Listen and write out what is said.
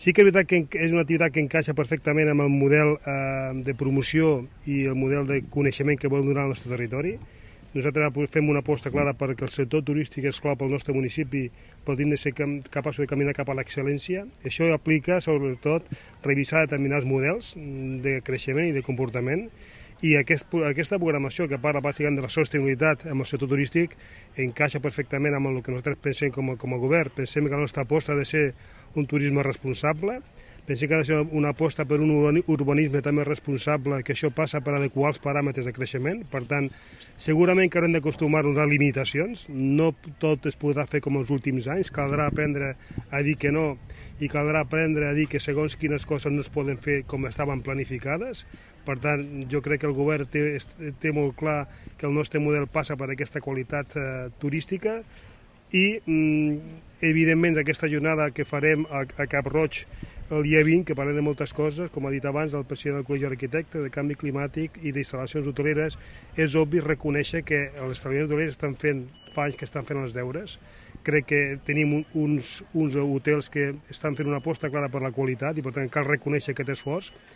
Sí que és veritat que és una activitat que encaixa perfectament amb el model de promoció i el model de coneixement que volem donar al nostre territori. Nosaltres fem una aposta clara perquè el sector turístic és clau pel nostre municipi, però hem de ser capaços de caminar cap a l'excel·lència. Això aplica, sobretot, revisar determinats models de creixement i de comportament, i aquesta programació que parla bàsicament de la sostenibilitat amb el sector turístic encaixa perfectament amb el que nosaltres pensem com a govern. Pensem que la nostra aposta ha de ser un turisme responsable, pensem que ha de ser una aposta per un urbanisme també responsable, que això passa per adequar els paràmetres de creixement. Per tant, segurament que haurem d'acostumar-nos a limitacions, no tot es podrà fer com els últims anys, caldrà aprendre a dir que no i caldrà aprendre a dir que segons quines coses no es poden fer com estaven planificades. Per tant, jo crec que el govern té molt clar que el nostre model passa per aquesta qualitat turística i, evidentment, aquesta jornada que farem a Cap Roig el dia 20, que parlem de moltes coses, com ha dit abans el president del Col·legi d'Arquitectes, de canvi climàtic i d'instal·lacions hoteleres, és obvi reconèixer que els establiments hotelers fa anys que estan fent els deures. Crec que tenim uns hotels que estan fent una aposta clara per la qualitat i, per tant, cal reconèixer aquest esforç.